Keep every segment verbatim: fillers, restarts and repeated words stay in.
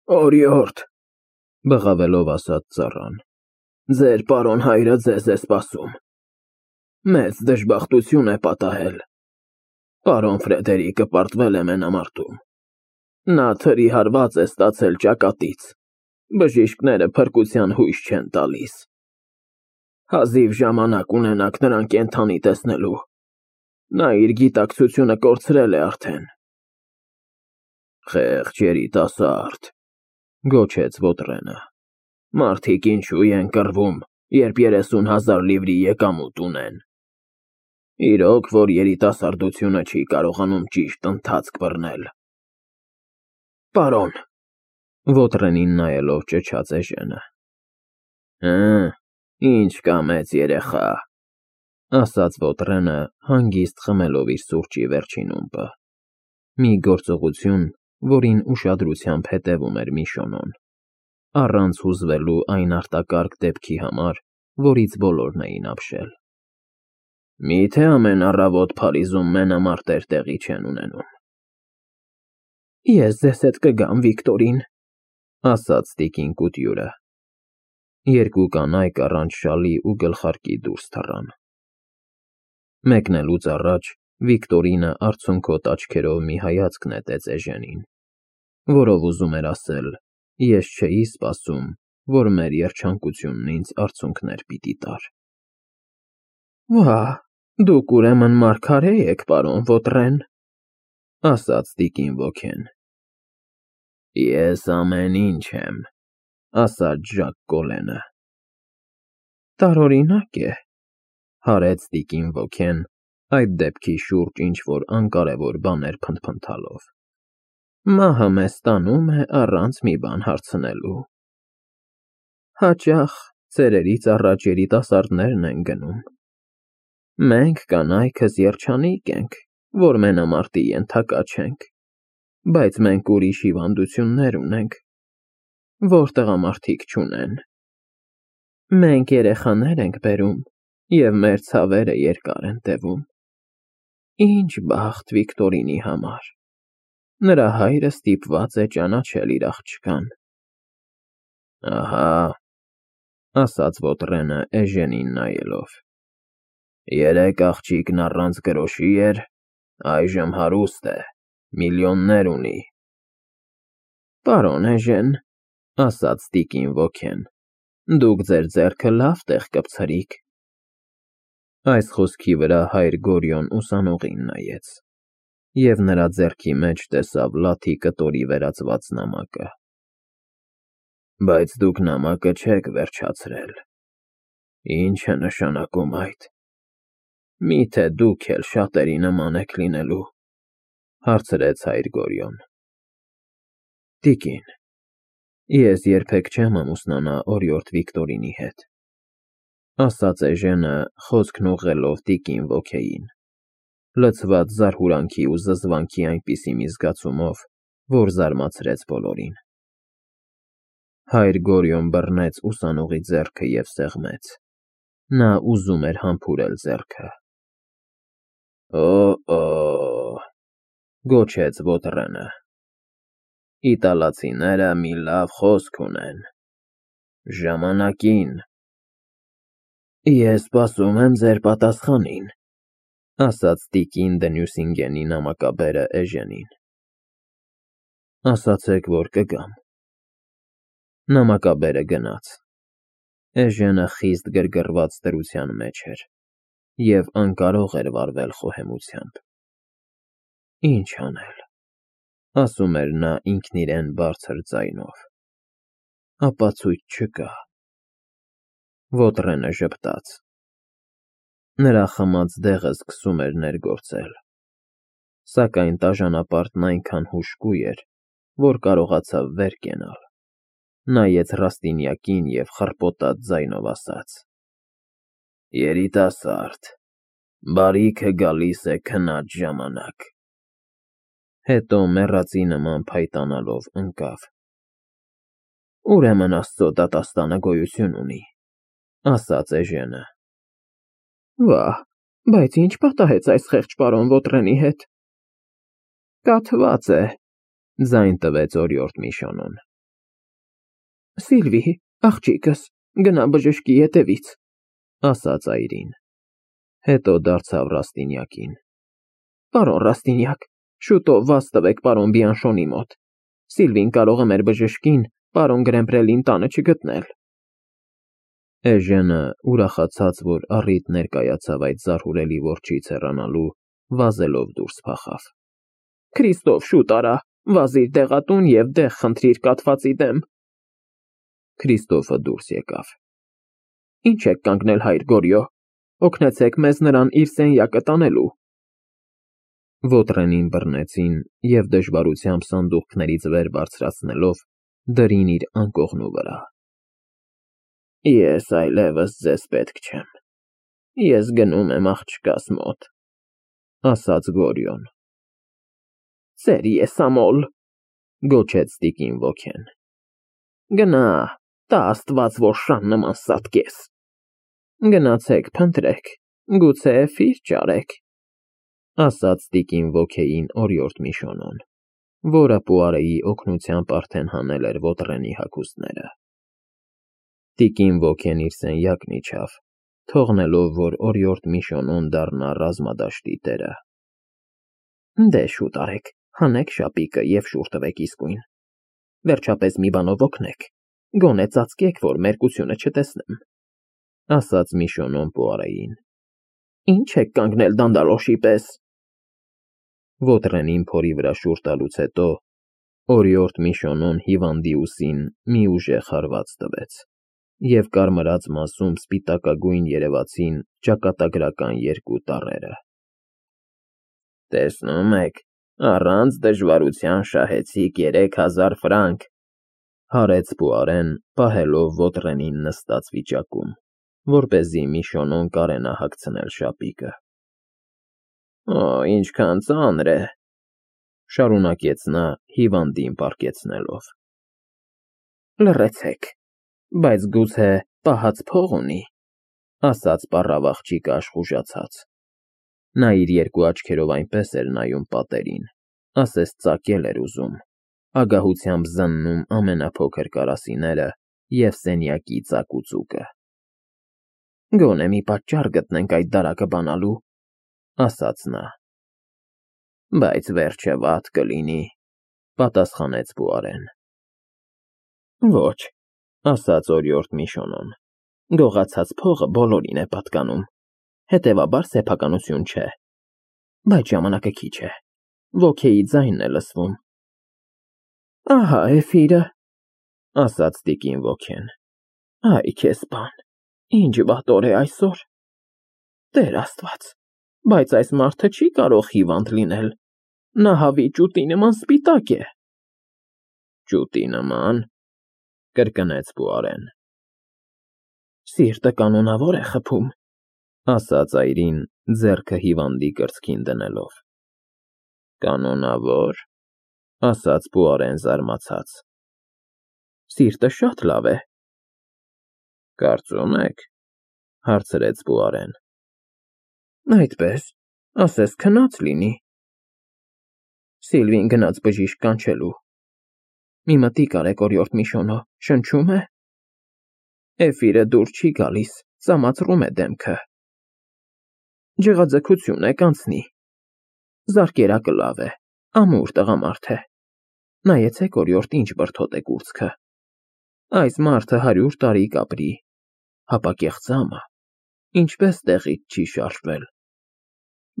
Օրիորդ, բղավելով ասաց ծառան, ձեր պարոն հայրը ձեզ է սպասում, մեծ դժբախտություն է պատահել, պարոն Ֆրեդերիկը պարտվել է մենամարտում, նա թրի հարված է ստացել ճակատից, բժիշկները փրկության հույս չեն տալիս, հազիվ ժամանակ ունենաք նրան կենդանի տեսնելու, նա իր գիտակցությունը կորցրել է արդեն։ Խեղճ երիտասարդ, գոչեց Վոտրենը, մարդիկ ինչու են կռվում, երբ երեսուն հազար լիվրի եկամուտ ունեն։ Իրոք, որ երիտասարդությունը չի կարողանում ճիշտ ընթացք բռնել։ Պարոն, Վոտրենին նայելով ճչաց Էժենը։ Հը, ինչ կա մեծ երեխա, ասաց Վոտրենը, հանգիստ խմելով իր սուրճի վերջին ումպը, մի գործողություն, որին ուշադրությամբ հետևում էր Միշոնոն, առանց հուզվելու այն արտակարգ դեպքի համար, որից բոլորն էին ապշել։ Մի՞թե ամեն առավոտ Փարիզում մենամարտեր տեղի չեն ունենում։ Ես ձեզ հետ կգամ, Վիկտորին, ասաց տիկին Կուտյուրը։ Երկու կանայք առանց շալի ու գլխարկի դուրս թռան։ Մեկնելուց առաջ Վիկտորինը արցունքոտ աչքերով մի հայացք նետեց Էժենին, որով ուզում էր ասել. ես չէի սպասում, որ մեր երջանկությունն ինձ արցունքներ պիտի տար։ Վա, դուք ուրեմն մարգարե եք, պարոն Վոտրեն, ասաց տիկին ոգեն։ Ես ամեն ինչ եմ, ասաց Ժակ Կոլենը։ Տարօրինակ է, հարեց տիկին ոգեն, այդ դեպքի շուրջ ինչ-որ անկարևոր բաներ փնթփնթալով։ Մահը մեզ տանում է առանց մի բան հարցնելու։ Հաճախ ծերերից առաջ երիտասարդներն են գնում։ Մենք կանայքս երջանիկ ենք, որ մենամարտի ենթակա չենք, բայց մենք ուրիշ հիվանդություններ ունենք, որ տղամարդիկ չունեն։ Մենք երեխաներ ենք բերում, և մեր ցավերը երկար են տևում։ Ինչ բախտ Վիկտորինի համար։ Նրա հայրը ստիպված է ճանաչել իր աղջկան։ Ահա, ասաց Վոտրենը Էժենին նայելով, երեք աղջիկն առանց գրոշի էր, այժմ հարուստ է, միլիոններ ունի։ Պարոն Էժեն, ասաց տիկին ոգեն, դուք ձեր ձեռքը լավ տեղ կպցրիք։ Այս խոսքի վրա հայր Գորյոն ուսանողին նայեց, և նրա ձեռքի մեջ տեսավ լաթի կտորի վերածված նամակը։ Բայց դուք նամակը չեք վերջացրել։ Ինչ է նշանակում այդ։ Մի՞թե դուք էլ շատերի նման եք լինելու, հարցրեց հայր Գորյոն։ Տիկին, ես երբեք չեմ ամուսնանա օրիորդ Վիկտորինի հետ, ասաց Էժենը, խոսքն ուղղելով տիկին ոգեին, լցված զարհուրանքի ու զզվանքի այնպիսի մի զգացումով, որ զարմացրեց բոլորին։ Հայր Գորյոն բռնեց ուսանողի ձեռքը և սեղմեց։ Նա ուզում էր համբուրել ձեռքը։ Օ՜օ, գոչեց Վոտրենը։ Իտալացիները մի լավ խոսք ունեն։ Ժամանակին։ Ես սպասում եմ ձեր պատասխանին, ասաց տիկին Դենյուսինգենի նամակաբերը Էժենին։ Ասացեք, որ կգամ։ Նամակաբերը գնաց։ Էժենը խիստ գրգռված դրության մեջ էր և անկարող էր վարվել խոհեմությամբ։ Ինչ անել, ասում էր նա ինքն իրեն բարձր ձայնով։ Ապացույց չկա։ Վոտրենը ժպտաց։ Նրա խմած դեղը սկսում էր ներգործել, սակայն տաժանապարտն այնքան հուժկու էր, որ կարողացավ վեր կենալ, նայեց Ռաստինյակին և խռպոտած ձայնով ասաց. Երիտասարդ, բարիքը գալիս է քնած ժամանակ։ Հետո մեռածի նման փայտանալով ընկավ։ Ուրեմն Աստծո դատաստանը գոյություն ունի, ասաց Էժենը։ Վա, բայց ինչ պատահեց այս խեղճ պարոն Վոտրենի հետ։ Կաթված է, ձայն տվեց օրիորդ Միշոնոն։ Սիլվի, աղջիկս, գնա բժշկի ետևից, ասաց այրին, հետո դարձավ Ռաստինյակին. Պարոն Ռաստինյակ, շուտով վազ տվեք պարոն Բիանշոնի մոտ, Սիլվին կարող է մեր բժշկին պարոն Գրեմպրելին տանը չգտնել։ Էժենը, ուրախացած, որ առիթ ներկայացավ այդ զարհուրելի որջից հեռանալու, վազելով դուրս փախավ։ Քրիստոֆ, շուտ արա, վազիր դեղատուն և դեղ խնդրիր կաթվածի դեմ։ Քրիստոֆը դուրս եկավ։ Ինչ եք կանգնել, հայր Գորյո, օգնեցեք մեզ նրան իր սենյակը տանելու։ Ոտրենին բռնեցին և դժվարությամբ սանդուղքներից վեր բարձրացնելով դրին իր անկողնու վրա։ Ես այլևս ձեզ պետք չեմ, ես գնում եմ աղջկաս մոտ, ասաց Գորյոն։ Ծեր եսամոլ, գոչեց տիկին ոգեն։ Գնա, տա աստված, որ շան նման սատկես։ Գնացեք փնտրեք, գուցե ֆիր ճարեք, ասաց տիկին ոգեին օրիորդ Միշոնոն, որը Պուարեի օգնությամբ արդեն հանել էր ոտրենի հագուստները։ Տիկին ոգեն իր սենյակն իջավ, թողնելով, որ օրիորդ Միշոնոն դառնա ռազմադաշտի տերը։ Դե շուտ արեք, հանեք շապիկը և շուռ տվեք իսկույն։ Վերջապես մի բանով օգնեք, գոնե ծածկեք, որ մերկությունը չտեսնեմ, ասաց Միշոնոն Պուարեին։ Ինչ եք կանգնել դանդալոշի պես։ Ոտրենին փորի վրա շուռ տալուց հետո օրիորդ Միշոնոն հիվանդի ուսին մի ուժեղ հարված տվեց և կարմրած մասում սպիտակագույն երևացին ճակատագրական երկու տառերը։ Տեսնում եք, առանց դժվարության շահեցիք երեք հազար ֆրանկ, հարեց Պուարեն, պահելով ոտրենին նստած վիճակում, որպեսզի Միշոնոն կարենա հագցնել շապիկը։ Օ, ինչքան ծանր է, շարունակեց նա հիվանդին պառկեցնելով։ Լռեցեք, բայց գուցե պահած փող ունի, ասաց պառավ աղջիկը աշխուժացած։ Նա իր երկու աչքերով այնպես էր նայում պատերին, ասես ծակել էր ուզում, ագահությամբ զննում ամենափոքր կարասիները և սենյակի ծակուծուկը։ Գոնե մի պատճառ գտնենք այդ դարակը բանալու, ասաց նա։ Բայց վերջը վատ կլինի, պատասխանեց Պուարեն։ Ոչ, ասաց օրիորդ Միշոնոն, գողացած փողը բոլորին է պատկանում, հետևաբար սեփականություն չէ, բայց ժամանակը քիչ է, ոգեի ձայնն է լսվում։ Ահա է ֆիրը, ասաց տիկին ոգեն։ Այ քեզ բան, ինչ վատ օր է այսօր։ Տեր Աստված, բայց այս մարդը չի կարող հիվանդ լինել, նա հավի ճուտի նման սպիտակ է։ Ճուտի նման, կրկնեց Պուարեն։ Սիրտը կանոնավոր է խփում, ասաց այրին, ձեռքը հիվանդի կրծքին դնելով։ Կանոնավոր, ասաց Պուարեն զարմացած։ Սիրտը շատ լավ է։ Կարծում եք, հարցրեց Պուարեն։ Այդպես, ասես քնած լինի։ Սիլվին գնաց բժիշկ կանչելու։ Մի մտիկ արեք, օրիորդ Միշոնո, շնչում է։ Էֆիրը դուր չի գալիս, ծամացրում է դեմքը։ Ջղաձգություն է, կանցնի։ Զարկերակը լավ է, ամուր տղամարդ է։ Նայեցեք, օրիորդ, ինչ բրդոտ է կուրծքը։ Այս մարդը հարյուր տարի կապրի, հապա կեղծամը, ինչպես տեղից չի շարժվել։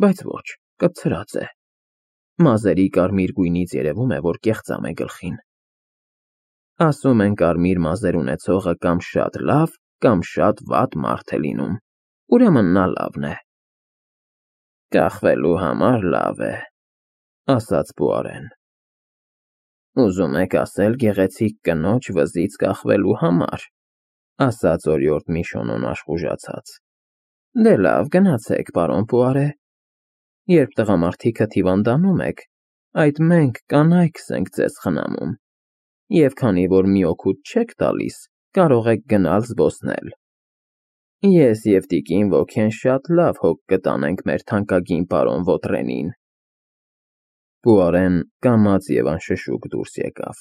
Բայց ոչ, կպցրած է։ Մազերի կարմիր գույնից երևում է, որ կեղծամ է գլխին։ Ասում են կարմիր մազեր ունեցողը կամ շատ լավ, կամ շատ վատ մարդ է լինում, ուրեմն նա լավն է։ Կախվելու համար լավ է, ասաց Պուարեն։ Ուզում եք ասել գեղեցիկ կնոջ վզից կախվելու համար, ասաց օրիորդ Միշոնոն աշխուժացած։ Դե լավ, գնացեք, պարոն Պուարե։ Երբ տղամարդիքդ հիվանդանում եք, այդ մենք կանայքս ենք ձեզ խնամում, և քանի որ մի օգուտ չեք տալիս, կարող եք գնալ զբոսնել։ Ես և տիկին ոգեն շատ լավ հոգ կտանենք մեր թանկագին պարոն Ոտրենին։ Պուարեն կամաց և անշշուկ դուրս եկավ։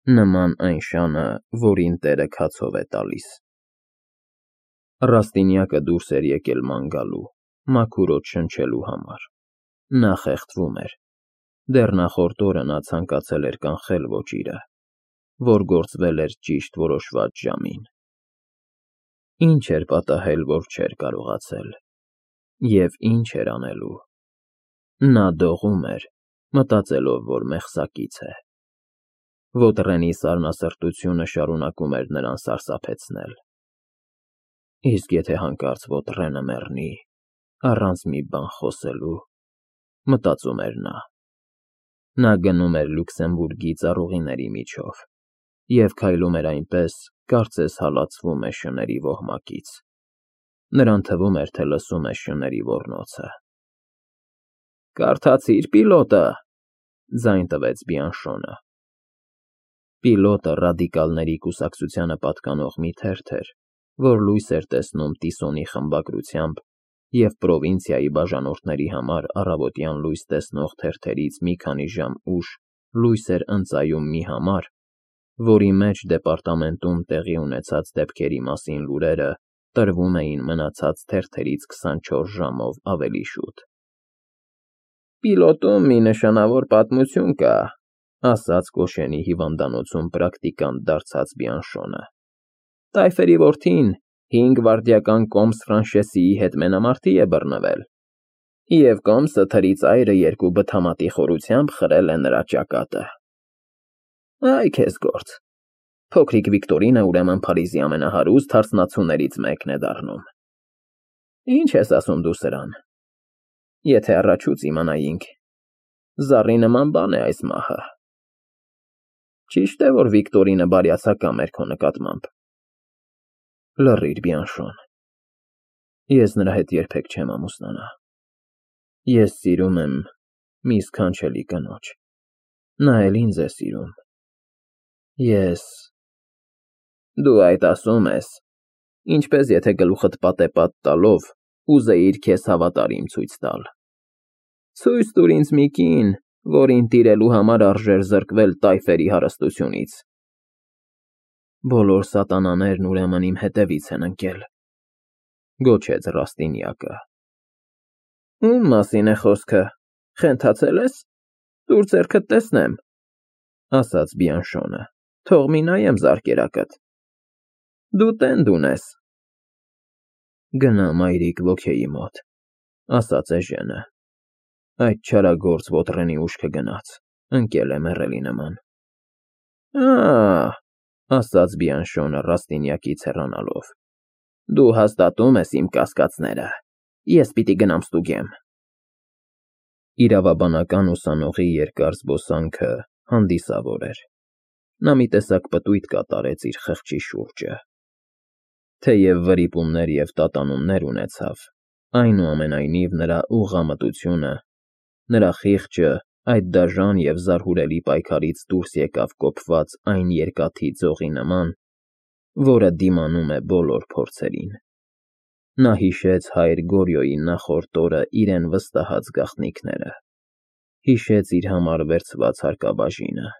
նման այն շանը, որին տերը քացով է տալիս։ Ռաստինյակը դուրս էր եկել ման գալու, մաքուր օդ շնչելու համար։ Նա խեղդվում էր։ Դեռ նախորդ օրը նա ցանկացել էր կանխել ոճիրը, որ գործվել էր ճիշտ որոշված ժամին։ Ինչ էր պատահել, որ չէր կարողացել, և ինչ էր անելու։ Նա դողում էր, մտածելով, որ մեղսակից է։ Ոտրենի սառնասրտությունը շարունակում էր նրան սարսափեցնել։ Իսկ եթե հանկարծ Ոտրենը մեռնի, առանց մի բան խոսելու, մտածում էր նա։ Նա գնում էր Լյուքսեմբուրգի ծառուղիների միջով և քայլում էր այնպես, կարծես հալածվում է շների ոհմակից։ Նրան թվում էր, թե լսում է շների ոռնոցը։ «Կարդացի՞ր պիլոտը», ձայն տվեց Բիանշոնը։ Պիլոտը ռադիկալների կուսակցությանը պատկանող մի թերթ էր, որ լույս էր տեսնում Տիսոնի խմբագրությամբ և պրովինցիայի բաժանորդների համար առավոտյան լույս տեսնող թերթերից մի քանի ժամ ուշ լույս էր ընծայում մի համար, որի մեջ դեպարտամենտում տեղի ունեցած դեպքերի մասին լուրերը տրվում էին մնացած թերթերից քսանչորս ժամով ավելի շուտ։ «Պիլոտում մի նշանավոր պատմություն կա», ասաց Կոշենի հիվանդանոցում պրակտիկանտ դարձած Բիանշոնը։ «Տայֆերի որդին հինգ վայրդյական կոմս Ֆրանշեսիի հետ մենամարտի է բռնվել, և կոմսը թրի ծայրը երկու բթամատի խորությամբ խրել է նրա ճակատը։ Այ քեզ գործ, փոքրիկ Վիկտորինը ուրեմն Փարիզի ամենահարուստ հարսնացուներից մեկն է դառնում։ Ինչ ես ասում դու սրան։ Եթե առաջուց իմանայինք, զառի նման բան է այս մահը։ Ճիշտ է, որ Վիկտորինը բարյացակամ էր քո նկատմամբ։ Լռիր, Բիանշոն, ես նրա հետ երբեք չեմ ամուսնանա։ Ես սիրում եմ մի սքանչելի կնոջ, նա էլ ինձ է սիրում։ Ես… Դու այդ ասում ես, ինչպես եթե գլուխդ պատեպատ տալով ուզեիր քեզ հավատարիմ ցույց տալ։ Ցույց տուր ինձ մի կին, որին տիրելու համար արժեր զրկվել տայֆերի հարստությունից։ Բոլոր սատանաներն ուրեմն իմ հետևից են ընկել, գոչեց Ռաստինյակը։ Ում մասին է խոսքը, խենթացել ես։ Տուր ձեռքդ տեսնեմ, ասաց Բիանշոնը, թող մի նայեմ զարկերակդ։ Դու տենդ ունես։ Գնա մայրիկ ոգեի մոտ, ասաց Էժենը։ Այդ չարագործ Ոտրենի ուշքը գնաց, ընկել է մեռելի նման։ Ա՜, ասաց Բիանշոնը Ռաստինյակից հեռանալով, դու հաստատում ես իմ կասկածները, ես պիտի գնամ ստուգեմ։ Իրավաբանական ուսանողի երկար զբոսանքը հանդիսավոր էր։ Նա մի տեսակ պտույտ կատարեց իր խղճի շուրջը։ Թեև վրիպումներ և տատանումներ ունեցավ, այնուամենայնիվ նրա ուղղամտությունը, նրա խիղճը այդ դաժան և զարհուրելի պայքարից դուրս եկավ կոփված այն երկաթի ձողի նման, որը դիմանում է բոլոր փորձերին։ Նա հիշեց հայր Գորյոյի նախորդ օրը իրեն վստահած գաղտնիքները, հիշեց իր համար վերցված հարկաբաժինը,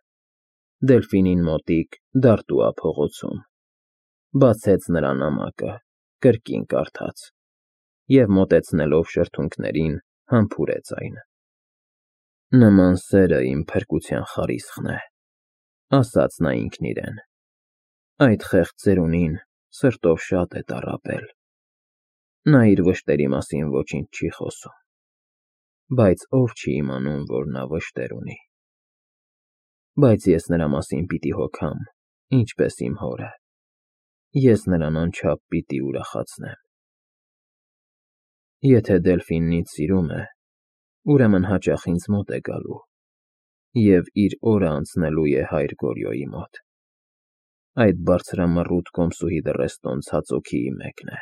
Դելֆինին մոտիկ Դարտուա փողոցում, բացեց նրա նամակը, կրկին կարդաց և մոտեցնելով շրթունքներին համբուրեց այն։ Նման սերը իմ փրկության խարիսխն է, ասաց նա ինքն իրեն։ Այդ խեղճ ծերունին սրտով շատ է տառապել։ Նա իր վշտերի մասին ոչինչ չի խոսում, բայց ով չի իմանում, որ նա վշտեր ունի։ Բայց ես նրա մասին պիտի հոգամ, ինչպես իմ հորը։ Ես նրան անչափ պիտի ուրախացնեմ։ Եթե Դելֆինն ինձ սիրում է, ուրեմն հաճախ ինձ մոտ է գալու և իր օրը անցնելու է հայր Գորյոյի մոտ։ Այդ բարձրամռութ կոմսուհի դռեստոն ցածոքիի մեկն է։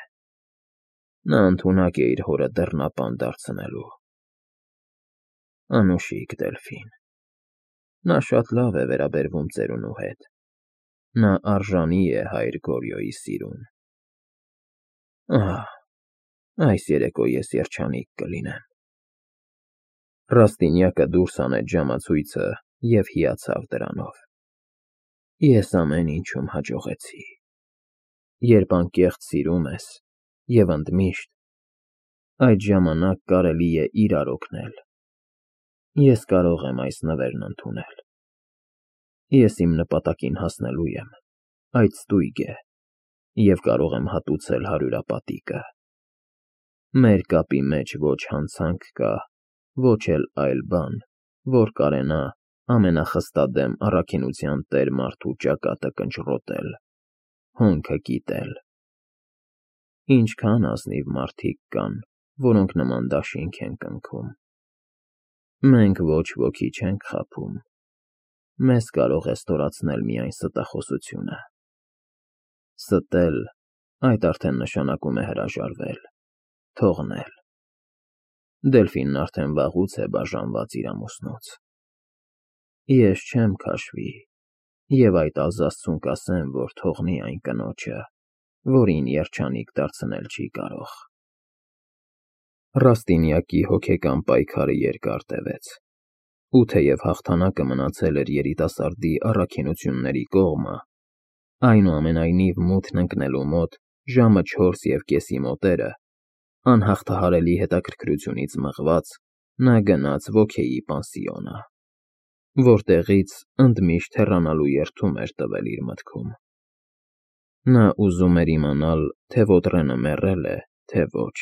Նա ընդունակ է իր հորը դռնապան դարձնելու։ Անուշիկ Դելֆին։ Նա շատ լավ է վերաբերվում ծերունու հետ։ Նա արժանի է հայր Գորյոյի սիրուն։ Ահ, այս երեկո ես երջանիկ կլինեմ։ Ռաստինյակը դուրս հանեց ժամացույցը և հիացավ դրանով։ Ես ամեն ինչում հաջողեցի։ Երբ անկեղծ սիրում ես և ընդմիշտ, այդ ժամանակ կարելի է իրար օգնել։ Ես կարող եմ այս նվերն ընդունել։ Ես իմ նպատակին հասնելու եմ, այդ ստույգ է, և կարող եմ հատուցել հարյուրապատիկը։ Մեր կապի մեջ ոչ հանցանք կա, ոչ էլ այլ բան, որ կարենա ամենախստադեմ առաքինության տեր մարդու ճակատը կնճռոտել, հոնքը կիտել։ Ինչքան ազնիվ մարդիկ կան, որոնք նման դաշինք են կնքում։ Մենք ոչ ոքի չենք խաբում, մեզ կարող է ստորացնել միայն ստախոսությունը։ Ստել, այդ արդեն նշանակում է հրաժարվել, թողնել։ Դելֆինն արդեն վաղուց է բաժանված իր ամուսնուց։ Ես չեմ քաշվի և այդ ազաստուն կասեմ, որ թողնի այն կնոջը, որին երջանիկ դարձնել չի կարող։ Ռաստինյակի հոգեկան պայքարը երկար տևեց, ու թեև հաղթանակը մնացել էր երիտասարդի առաքինությունների կողմը, այնուամենայնիվ մութն ընկնելու մոտ ժամը չորս և կեսի մոտերը, անհաղթահարելի հետաքրքրությունից մղված, նա գնաց Ոքեի պանսիոնը, որտեղից ընդմիշտ հեռանալու երդում էր տվել իր մտքում։ Նա ուզում էր իմանալ, թե Ոտրենը մեռել է, թե ոչ։